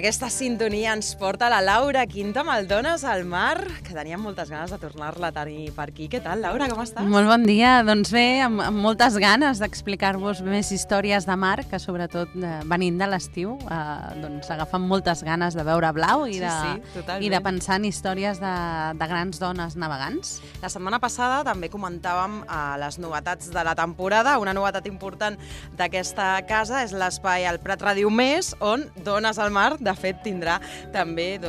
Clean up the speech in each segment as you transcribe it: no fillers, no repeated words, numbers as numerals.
Aquesta sintonia ens porta la Laura Quinta amb el Dones al Mar, que teníem moltes ganes de tornar-la a tenir per aquí. Què tal, Laura? Com estàs? Molt bon dia. Doncs bé, amb moltes ganes d'explicar-vos més històries de mar, que sobretot venint de l'estiu, doncs agafen moltes ganes de veure blau i de pensar en històries de grans dones navegants. La setmana passada també comentàvem les novetats de la temporada. Una novetat important d'aquesta casa és l'espai al Prat Ràdio Més, on Dones al Mar, de fet, tindrà també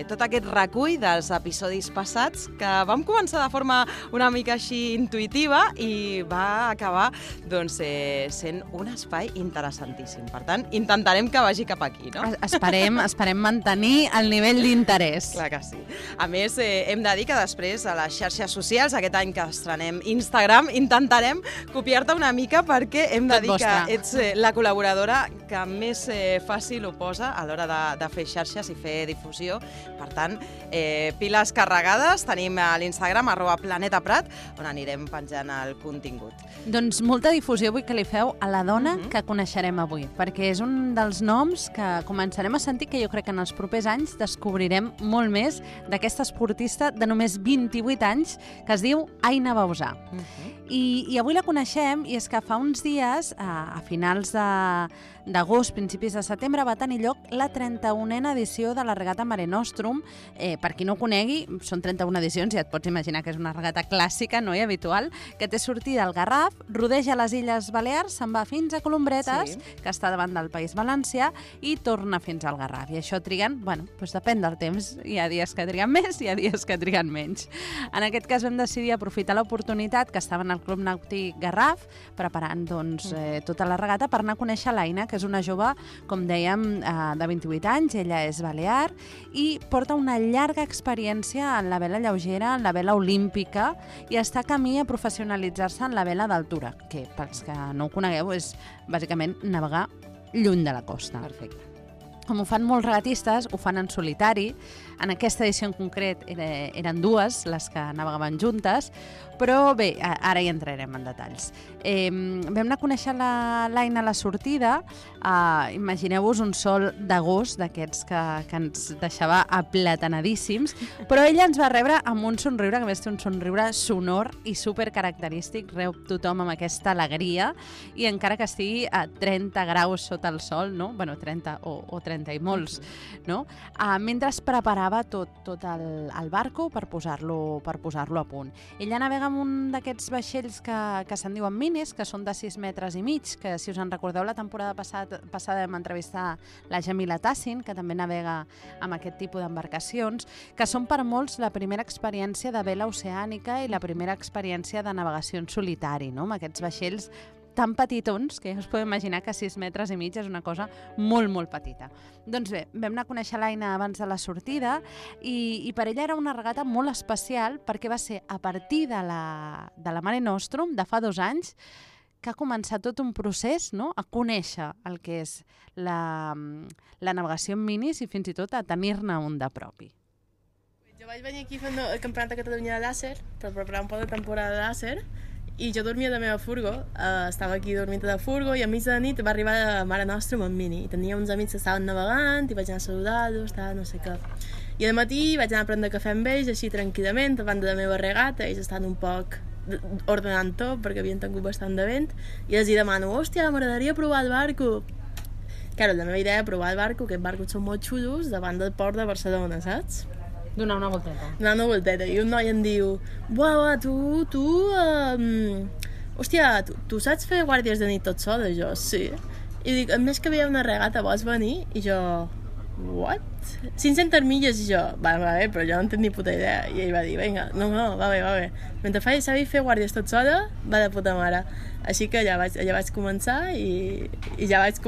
tot aquest recull dels episodis passats que vam començar de forma una mica així intuïtiva i va acabar sent un espai interessantíssim. Per tant, intentarem que vagi cap aquí, no? Esperem mantenir el nivell d'interès. Clar que sí. A més, hem de dir que després a les xarxes socials, aquest any que estrenem Instagram, intentarem copiar-te una mica perquè hem de dir que ets la col·laboradora que més fàcil ho posa a l'hora de fer xarxes i fer difusió. Per tant, piles carregades, tenim a l'Instagram @planetaprat, on anirem penjant el contingut. Doncs molta difusió vull que li feu a la dona que coneixerem avui, perquè és un dels noms que començarem a sentir, que jo crec que en els propers anys descobrirem molt més d'aquesta esportista de només 28 anys que es diu Aina Bauzà. I avui la coneixem, i és que fa uns dies, a finals d'agost, principis de setembre, va tenir lloc la 31a edició de la regata Mare Nostrum. Per qui no ho conegui, són 31 edicions, ja et pots imaginar que és una regata clàssica, no? I habitual, que té sortida al Garraf, rodeja les Illes Balears, se'n va fins a Colombretes, que està davant del País Valencià, i torna fins al Garraf. I això triguen, doncs depèn del temps. Hi ha dies que triguen més i hi ha dies que triguen menys. En aquest cas vam decidir aprofitar l'oportunitat que estaven al Club Nàutic Garraf, preparant tota la regata per anar a conèixer l'Aina, que és una jove, com dèiem, de 28 anys, ella és balear i porta una llarga experiència en la vela lleugera, en la vela olímpica, i està camí a professionalitzar-se en la vela d'altura, que pels que no ho conegueu és bàsicament navegar lluny de la costa. Perfecte. Com ho fan molts regatistes, ho fan en solitari. En aquesta edició en concret eren dues les que navegaven juntes, però bé, ara hi entrarem en detalls. Vam anar a conèixer l'Aina a la sortida. Imagineu-vos un sol d'agost d'aquests que ens deixava aplatanadíssims, però ella ens va rebre amb un somriure, que a més té un somriure sonor i supercaracterístic, reu tothom amb aquesta alegria, i encara que estigui a 30 graus sota el sol, no? Bueno, 30 o 30 i molts, no? Mentre es preparava tot el barco per posar-lo a punt. Ella navega amb un d'aquests vaixells que se'n diuen minis, que són de 6 metres i mig, que si us en recordeu la temporada passada vam entrevistar la Jamila Tassin, que també navega amb aquest tipus d'embarcacions, que són per molts la primera experiència de vela oceànica i la primera experiència de navegació en solitari, no? Amb aquests vaixells tan petitons, que ja us podeu imaginar que 6 metres i mig és una cosa molt, molt petita. Doncs bé, vam anar a conèixer l'Aina abans de la sortida i per ella era una regata molt especial perquè va ser a partir de la Mare Nostrum de fa 2 anys que ha començat tot un procés, no?, a conèixer el que és la navegació en minis i fins i tot a tenir-ne un de propi. Jo vaig venir aquí fent el Campionat de Catalunya de làser per preparar un poc de temporada de làser i jo dormia a la meva furgo, estava aquí dormint a la furgo i a mig de la nit va arribar la Mare Nostrum en mini i tenia uns amics que estaven navegant i vaig anar a saludar-los, no sé què. I al matí vaig anar a prendre cafè amb ells així tranquil·lament davant de la meva regata, ells estan un poc ordenant tot perquè havien tingut bastant de vent i els demano, hòstia, m'agradaria provar el barco. Claro, la meva idea era provar el barco, aquests barcos són molt xulos davant del port de Barcelona, saps? Donar una volteta. Donar una volteta. I un noi em diu, buah, hòstia, tu saps fer guàrdies de nit tot sola? Jo, sí. I dic, a més que veia una regata, vols venir? I jo, what? 500 milles, i jo, va bé, però jo no en tinc ni puta idea. I ell va dir, vinga, no, va bé. Mentre sabia fer guàrdies tot sola, va de puta mare. Així que ja vaig començar i ja vaig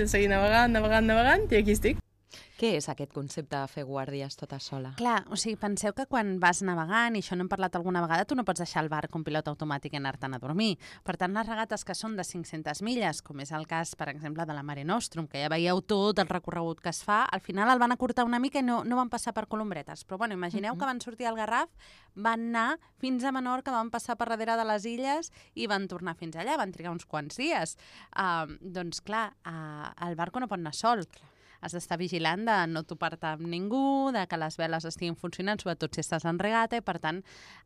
seguir navegant i aquí estic. Què és aquest concepte de fer guàrdies tota sola? Clar, o sigui, penseu que quan vas navegant, i això n'hem parlat alguna vegada, tu no pots deixar el barc un pilot automàtic i anar-te'n a dormir. Per tant, les regates que són de 500 milles, com és el cas, per exemple, de la Mare Nostrum, que ja veieu tot el recorregut que es fa, al final el van acurtar una mica i no van passar per Colombretes. Però, bueno, imagineu que van sortir al Garraf, van anar fins a Menorca, van passar per darrere de les illes i van tornar fins allà, van trigar uns quants dies. Doncs, clar, el barco no pot anar sol. Has d'estar vigilant de no topar-te amb ningú, de que les veles estiguin funcionant, sobretot si estàs en regata, i per tant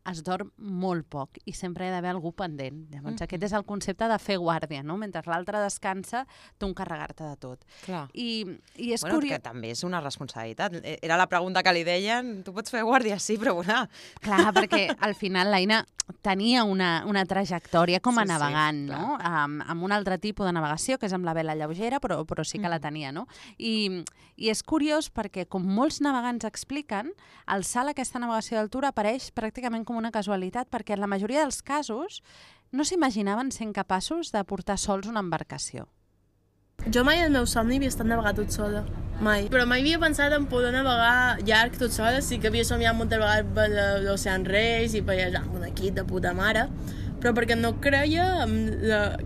es dorm molt poc i sempre hi ha d'haver algú pendent. Llavors aquest és el concepte de fer guàrdia, no? Mentre l'altre descansa, tu encarregar-te de tot. Clar. I és bueno, curiós... que també és una responsabilitat. Era la pregunta que li deien, tu pots fer guàrdia? Sí, però bueno... Clar, perquè al final l'Aina tenia una trajectòria com a navegant, no? Amb un altre tipus de navegació, que és amb la vela lleugera, però sí que la tenia, no? I és curiós perquè, com molts navegants expliquen, el salt a aquesta navegació d'altura apareix pràcticament com una casualitat, perquè en la majoria dels casos no s'imaginaven sent capaços de portar sols una embarcació. Jo mai al meu somni havia estat navegar tot sola, mai. Però mai havia pensat en poder navegar llarg tot sola, sí que havia somiat moltes vegades per l'Ocean Race i per allà amb un equip de puta mare, però perquè no creia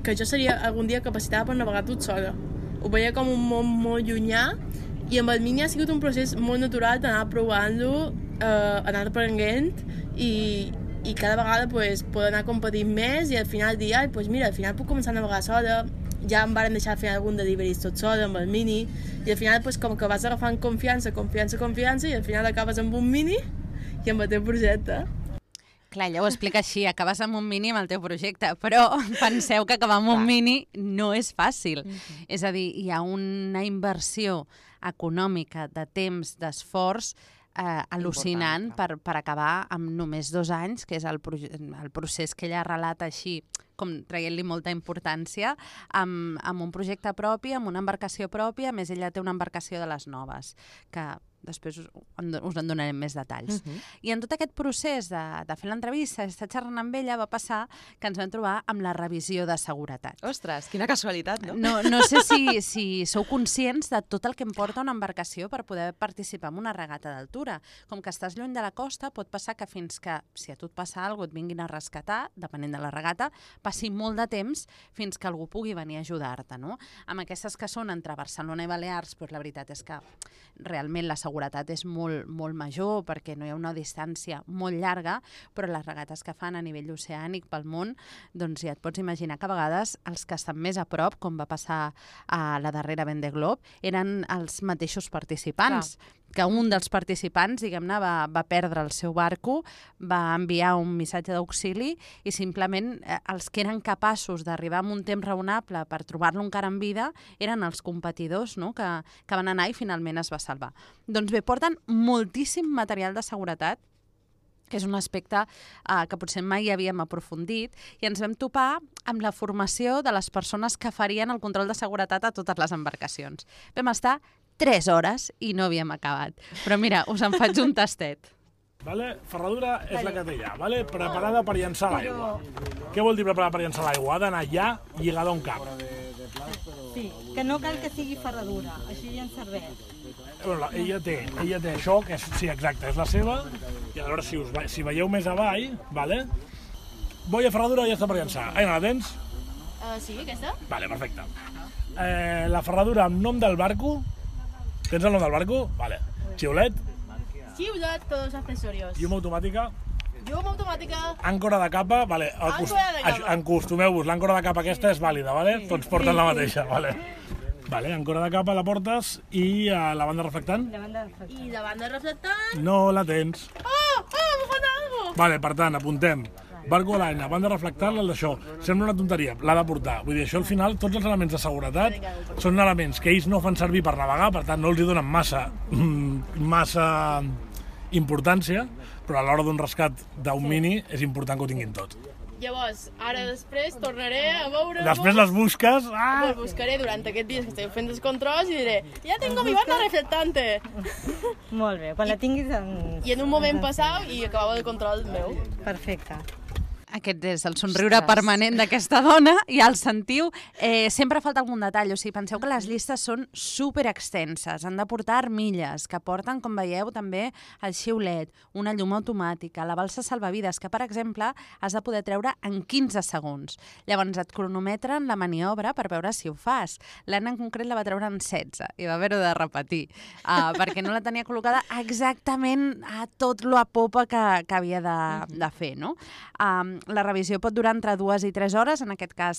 que jo seria algun dia capacitada per navegar tot sola. Ho veia com un món molt llunyà i amb el Mini ha sigut un procés molt natural d'anar provant-lo, anar aprenent i cada vegada poder anar competint més i al final dir, mira, al final puc començar a navegar sola. Ja em varen deixar fer algun deliveries tot sola amb el Mini i al final com que vas agafant confiança i al final acabes amb un Mini i amb el teu projecte. Clar, ella ho explica així, acabes amb un Mini amb el teu projecte, però penseu que acabar amb un Mini no és fàcil. És a dir, hi ha una inversió econòmica de temps, d'esforç, al·lucinant per acabar amb només 2 anys, que és el procés que ella relata així, com traient-li molta importància, amb un projecte propi, amb una embarcació pròpia, a més ella té una embarcació de les noves, que després us en donarem més detalls. I en tot aquest procés de fer l'entrevista, estar xerrant amb ella, va passar que ens vam trobar amb la revisió de seguretat. Ostres, quina casualitat, no? No sé si sou conscients de tot el que em porta una embarcació per poder participar en una regata d'altura. Com que estàs lluny de la costa, pot passar que fins que, si a tu et passa alguna cosa, et vinguin a rescatar, depenent de la regata, passi molt de temps fins que algú pugui venir a ajudar-te, no? Amb aquestes que són entre Barcelona i Balears, doncs la veritat és que realment la seguretat és molt, molt major perquè no hi ha una distància molt llarga, però les regates que fan a nivell oceànic pel món, doncs ja et pots imaginar que a vegades els que estan més a prop, com va passar a la darrera Vendée Globe, eren els mateixos participants. Clar. Que un dels participants, diguem-ne, va perdre el seu barco, va enviar un missatge d'auxili i simplement els que eren capaços d'arribar amb un temps raonable per trobar-lo encara en vida eren els competidors, no? que van anar i finalment es va salvar. Doncs bé, porten moltíssim material de seguretat, que és un aspecte que potser mai havíem aprofundit, i ens vam topar amb la formació de les persones que farien el control de seguretat a totes les embarcacions. Vam estar 3 hores i no havíem acabat. Però mira, us en faig un tastet. Vale? Ferradura és la que té allà, vale? Preparada per llançar l'aigua. Què vol dir preparada per llançar l'aigua? Ha d'anar allà lligada a un cap. Sí, que no cal que sigui ferradura, així ja ens serveix. Bueno, ella té això, que és, sí, exacte, és la seva, i a veure si veieu més avall, vale? Boia ferradura ja està per llançar. Aina, la tens? Sí, aquesta? Vale, perfecte. La ferradura amb nom del barco. Tens el nom del barco? Vale. Xiulet? Xiulet per els accessorios. Llum automàtica? Llum automàtica. Àncora de capa? Vale. Acostumeu-vos, l'àncora de capa aquesta és vàlida, vale? Tots porten la mateixa, vale. Vale, àncora de capa la portes i la banda reflectant? I la banda reflectant? No la tens. M'ho falta alguna cosa. Vale, per tant, apuntem. Barco a l'Aina, banda reflectant, d'això. Sembla una tonteria, l'ha de portar. Vull dir, això al final, tots els elements de seguretat són elements que ells no fan servir per navegar, per tant no els hi donen massa importància, però a l'hora d'un rescat d'un Mini és important que ho tinguin tot. Llavors, ara després tornaré a veure-ho. Després les busques... Pues buscaré durant aquests dies que estic fent els controls i diré ja tengo mi banda reflectante. Molt bé, quan la tinguis... I en un moment passau i acabava el control meu. Perfecte. Aquest és el somriure permanent d'aquesta dona, i el sentiu. Sempre falta algun detall, o sigui, penseu que les llistes són super extenses, han de portar armilles, que porten, com veieu, també el xiulet, una llum automàtica, la balsa salvavides, que, per exemple, has de poder treure en 15 segons. Llavors et cronometren la maniobra per veure si ho fas. L'Anna en concret la va treure en 16 i va haver-ho de repetir, perquè no la tenia col·locada exactament a tot lo a popa que havia de fer, no? La revisió pot durar entre 2 i 3 hores, en aquest cas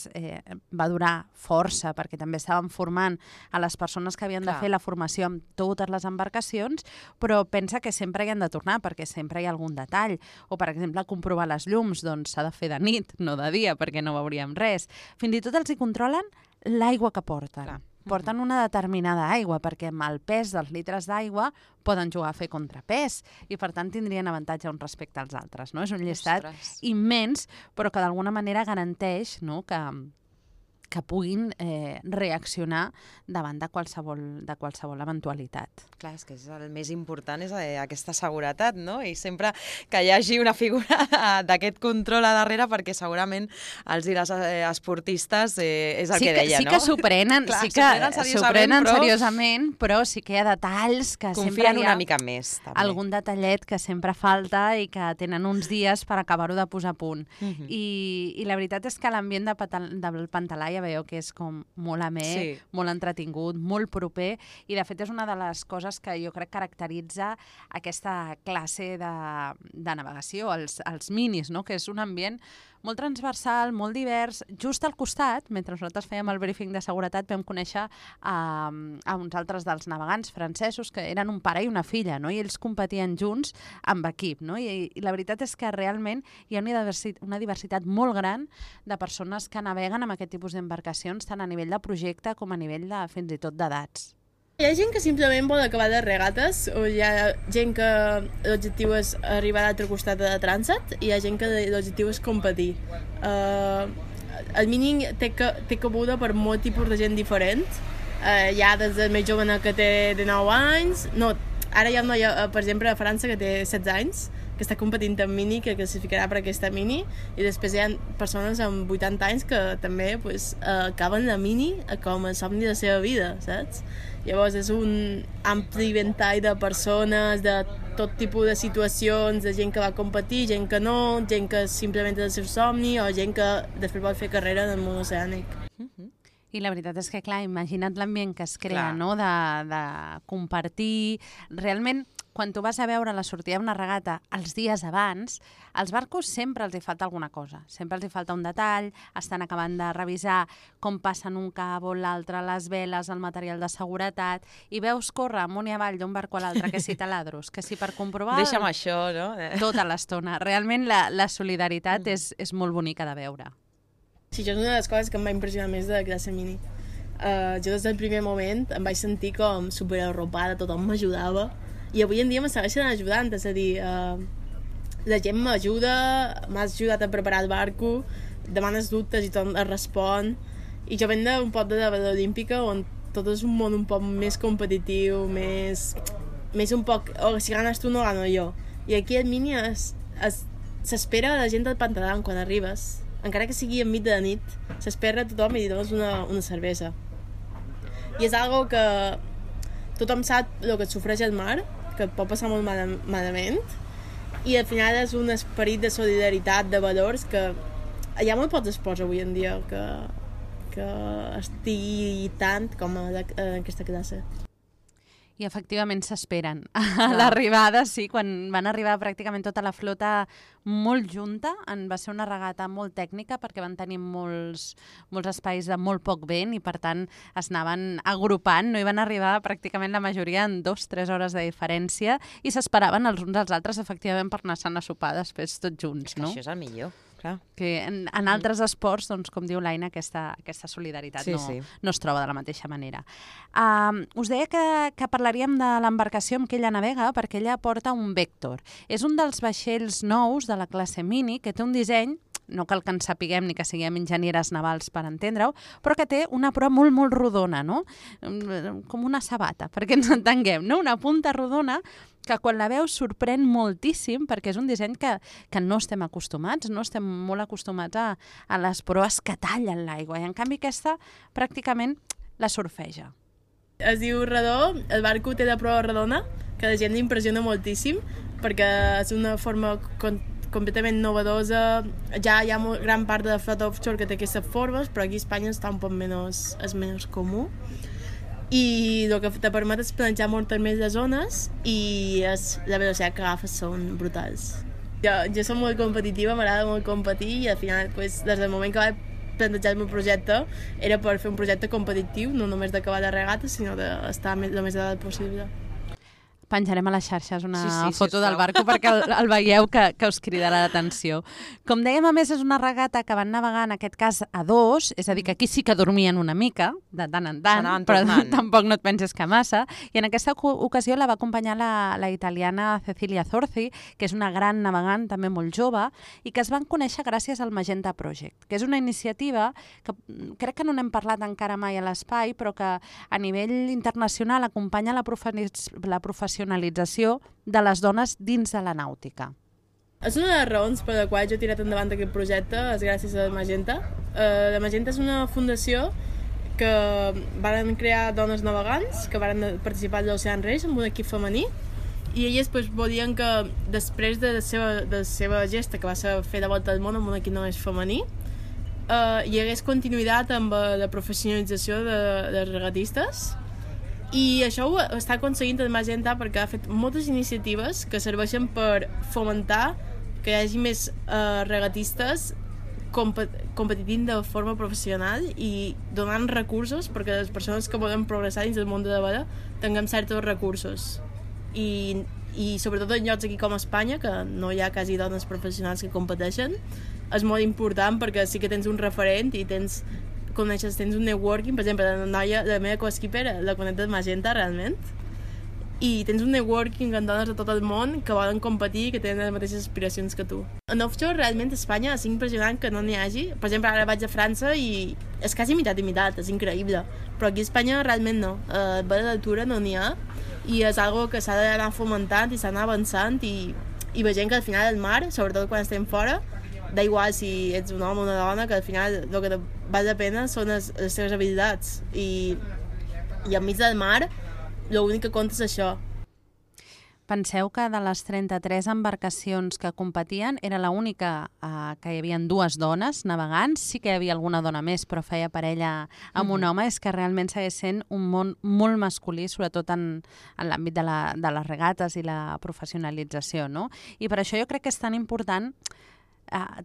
va durar força, perquè també estàvem formant a les persones que havien de fer la formació amb totes les embarcacions, però pensa que sempre hi han de tornar, perquè sempre hi ha algun detall. O, per exemple, comprovar les llums, doncs s'ha de fer de nit, no de dia, perquè no veuríem res. Fins i tot els hi controlen l'aigua que porten. Clar. Porten una determinada aigua, perquè amb el pes dels litres d'aigua poden jugar a fer contrapès i, per tant, tindrien avantatge un respecte als altres. No? És un llistat immens, però que d'alguna manera garanteix, no?, que puguin reaccionar davant de qualsevol eventualitat. Clar, és que el més important és aquesta seguretat, no? I sempre que hi hagi una figura d'aquest control a darrere, perquè segurament els i les esportistes és el que deia, no? Sí que s'ho prenen, seriosament, però sí que hi ha detalls que sempre confien una mica més. També. Algun detallet que sempre falta i que tenen uns dies per acabar-ho de posar a punt. I la veritat és que l'ambient del Pantalà ja veieu que és com molt amè, molt entretingut, molt proper, i de fet és una de les coses que jo crec caracteritza aquesta classe de navegació, els minis, no? Que és un ambient molt transversal, molt divers. Just al costat, mentre nosaltres fèiem el briefing de seguretat, vam conèixer a uns altres dels navegants francesos que eren un pare i una filla, no? I ells competien junts amb equip, no? I la veritat és que realment hi ha una diversitat molt gran de persones que naveguen amb aquest tipus d'embarcacions, tant a nivell de projecte com a nivell de fins i tot d'edats. Hi ha gent que simplement vol acabar de regates, o hi ha gent que l'objectiu és arribar a l'altre costat de trànsit, i hi ha gent que l'objectiu és competir. El mini té cabuda per molt tipus de gent diferent. Hi ha des del més jove que té de 9 anys, ara hi ha una noia, per exemple, a França que té 16 anys, que està competint en mini, que classificarà per aquesta mini, i després hi ha persones amb 80 anys que també acaben la mini com a somni de la seva vida, saps? Llavors és un ampli ventall de persones, de tot tipus de situacions, de gent que va competir, gent que no, gent que simplement és el seu somni, o gent que després vol fer carrera en el món oceànic. I la veritat és que, clar, imagina't l'ambient que es crea, no?, de compartir. Realment, quan tu vas a veure la sortida d'una regata els dies abans, als barcos sempre els hi falta alguna cosa. Sempre els hi falta un detall, estan acabant de revisar com passen un cabo, l'altre, les veles, el material de seguretat, i veus córrer amunt i avall d'un barco a l'altre, que si taladros, que si per comprovar... Deixa'm això, no? Tota l'estona. Realment la solidaritat és molt bonica de veure. Sí, això és una de les coses que em va impressionar més de la classe mini. Jo des del primer moment em vaig sentir com superarropada, tothom m'ajudava, i avui en dia me segueixen ajudant, és a dir, la gent m'ajuda, m'ha ajudat a preparar el barco, demanes dubtes i tothom es respon, i jo venc d'un poble de la olímpica on tot és un món un poc més competitiu, més un poc, si ganes tu no gano jo, i aquí al mini s'espera la gent del Pantalà quan arribes, encara que sigui enmig de la nit, s'espera a tothom i li dones una cervesa. I és algo que tothom sap el que et sofreix al mar, que et pot passar molt malament, i al final és un esperit de solidaritat, de valors, que hi ha molt pocs esports avui en dia que estigui tant com en aquesta classe. I efectivament s'esperen. A l'arribada, sí, quan van arribar pràcticament tota la flota molt junta, va ser una regata molt tècnica perquè van tenir molts espais de molt poc vent i per tant es anaven agrupant, no hi van arribar pràcticament la majoria en 2-3 hores de diferència i s'esperaven els uns als altres efectivament per anar a sopar després tots junts, no? Això és el millor. Que en altres esports, doncs, com diu l'Aina, aquesta solidaritat no es troba de la mateixa manera. Us deia que parlaríem de l'embarcació amb què ella navega, perquè ella porta un Vector. És un dels vaixells nous de la classe mini que té un disseny no cal que en sapiguem ni que siguem enginyeres navals per entendre-ho, però que té una proa molt, molt rodona, no? Com una sabata, perquè ens entenguem, no? Una punta rodona que quan la veus sorprèn moltíssim perquè és un disseny que no estem acostumats, no estem molt acostumats a les proes que tallen l'aigua, i en canvi aquesta pràcticament la surfeja. Es diu Redó, el barco té de proa redona, que la gent li impressiona moltíssim, perquè és una forma completament novedosa. Ja hi ha gran part de la flota offshore que té aquestes formes, però aquí a Espanya està un poc menys comú. I el que te permet és planejar moltes més de zones i la velocitat que agafes són brutals. Jo soc molt competitiva, m'agrada molt competir i al final, des del moment que vaig plantejar el meu projecte era per fer un projecte competitiu, no només d'acabar de regata, sinó d'estar el més dalt possible. Penjarem a les xarxes una foto del barco perquè el veieu que us cridarà l'atenció. Com dèiem, a més, és una regata que van navegar, en aquest cas, a dos, és a dir, que aquí sí que dormien una mica, de tant en tant, però tampoc no et penses que massa, i en aquesta ocasió la va acompanyar la italiana Cecilia Zorzi, que és una gran navegant, també molt jove, i que es van conèixer gràcies al Magenta Project, que és una iniciativa que crec que no n'hem parlat encara mai a l'espai, però que a nivell internacional acompanya la professionalització de les dones dins de la nàutica. És una de les raons per la qual jo he tirat endavant aquest projecte, és gràcies a Magenta. La Magenta és una fundació que van crear dones navegants, que van participar a l'Ocean Race amb un equip femení, i elles volien que després de la seva gesta, que va ser fer de volta al món amb un equip només femení, hi hagués continuïtat amb la professionalització de regatistes. I això ho està aconseguint el Magenta perquè ha fet moltes iniciatives que serveixen per fomentar que hi hagi més regatistes competint de forma professional i donant recursos perquè les persones que volen progressar dins del món de la vela tinguem certs recursos. I sobretot en llocs aquí com a Espanya, que no hi ha quasi dones professionals que competeixen, és molt important perquè sí que tens un referent i tens un networking, per exemple, la meva co-skipper la conec del Magenta, realment, i tens un networking amb dones de tot el món que volen competir i que tenen les mateixes aspiracions que tu. En offshore, realment, a Espanya és impressionant que no n'hi hagi. Per exemple, ara vaig a França i és quasi mitat i mitat, és increïble. Però aquí a Espanya realment no. A vela d'altura no n'hi ha i és algo que s'ha d'anar fomentant i s'ha d'anar avançant i veient que al final el mar, sobretot quan estem fora, da igual si ets un home o una dona, que al final el que val la pena són les teves habilitats i enmig del mar l'únic que compta és això. Penseu que de les 33 embarcacions que competien era l'única que hi havia dues dones navegants, sí que hi havia alguna dona més però feia parella amb un home, és que realment segueix sent un món molt masculí, sobretot en l'àmbit de les regates i la professionalització, no? I per això jo crec que és tan important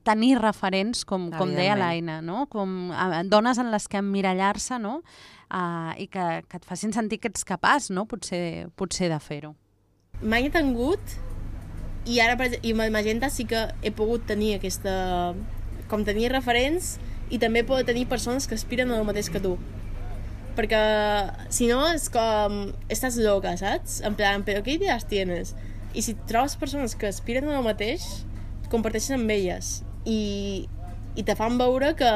tenir referents, com deia l'Aina, no? Com dones en les que emmirallar-se, no? I que et facin sentir que ets capaç, no? Potser de fer-ho. Mai he tingut, i ara i amb el Magenta sí que he pogut tenir aquesta... com tenir referents i també poder tenir persones que aspiren al mateix que tu. Perquè si no és com... estàs loca, saps? En plan, però què idees tienes? I si trobes persones que aspiren al mateix, comparteixen amb elles i te fan veure que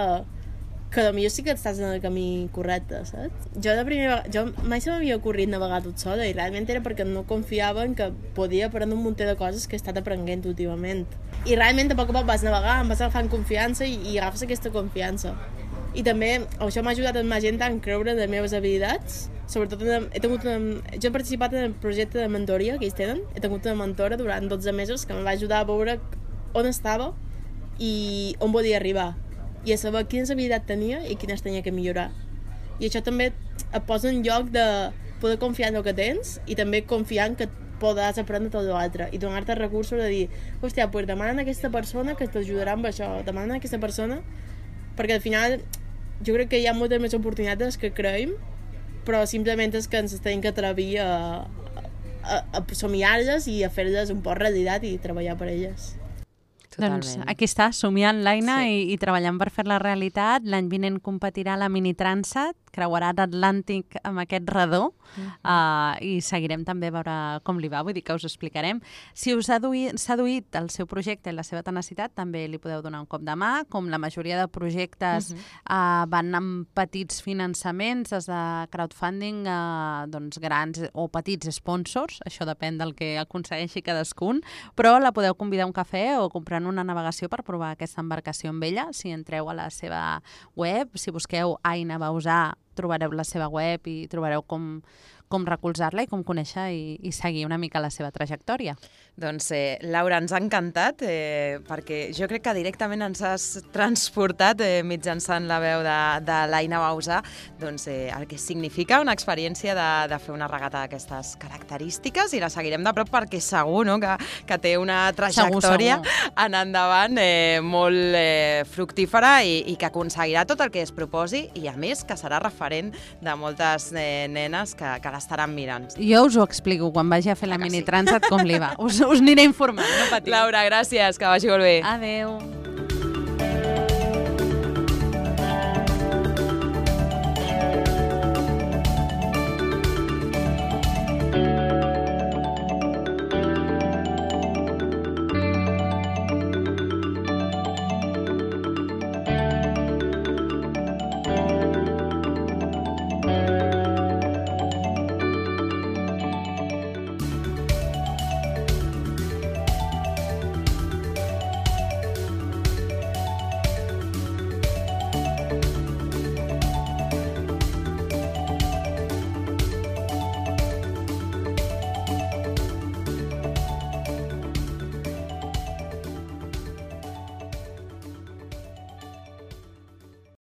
potser sí que estàs en el camí correcte, saps? Jo mai se m'havia ocorrit navegar tot sola i realment era perquè no confiava en que podia aprendre un munt de coses que he estat aprenent últimament. I realment a poc a poc vas navegar, em vas agafant confiança i agafes aquesta confiança. I també això m'ha ajudat en Magenta a creure en les meves habilitats. Sobretot jo he participat en el projecte de mentoria que ells tenen. He tingut una mentora durant 12 mesos que em va ajudar a veure on estava i on volia arribar i a saber quines habilitats tenia i quines tenia que millorar. I això també et posa en lloc de poder confiar en el que tens i també confiar en que podràs aprendre tot l'altre i donar-te recursos de dir, hòstia, pues demanen a aquesta persona que t'ajudarà amb això, demanen a aquesta persona, perquè al final jo crec que hi ha moltes més oportunitats que creiem, però simplement és que ens tenim que atrevir a somiar-les i a fer-les un poc realitat i treballar per elles. Totalment. Doncs aquí està, somiant l'Aina i treballant per fer la realitat. L'any vinent competirà la Mini Transat, creuarà l'Atlàntic amb aquest redó i seguirem també a veure com li va, vull dir que us explicarem. Si us ha seduït el seu projecte i la seva tenacitat, també li podeu donar un cop de mà, com la majoria de projectes van amb petits finançaments, des de crowdfunding, doncs grans o petits sponsors, això depèn del que aconsegueixi cadascun, però la podeu convidar a un cafè o comprant una navegació per provar aquesta embarcació amb ella. Si entreu a la seva web, si busqueu Aina Bausà, trobareu la seva web i trobareu com recolzar-la i com conèixer i seguir una mica la seva trajectòria. Doncs, Laura, ens ha encantat, perquè jo crec que directament ens has transportat mitjançant la veu de l'Aina Bausà, doncs, el que significa una experiència de fer una regata d'aquestes característiques, i la seguirem de prop perquè segur, no?, que té una trajectòria en endavant molt fructífera i que aconseguirà tot el que es proposi, i a més que serà referent de moltes nenes que l'estaran mirant. Jo us ho explico quan vagi a fer la mini transat com li va. Us aniré informant, no patiu. Laura, gràcies, que vagi molt bé. Adéu.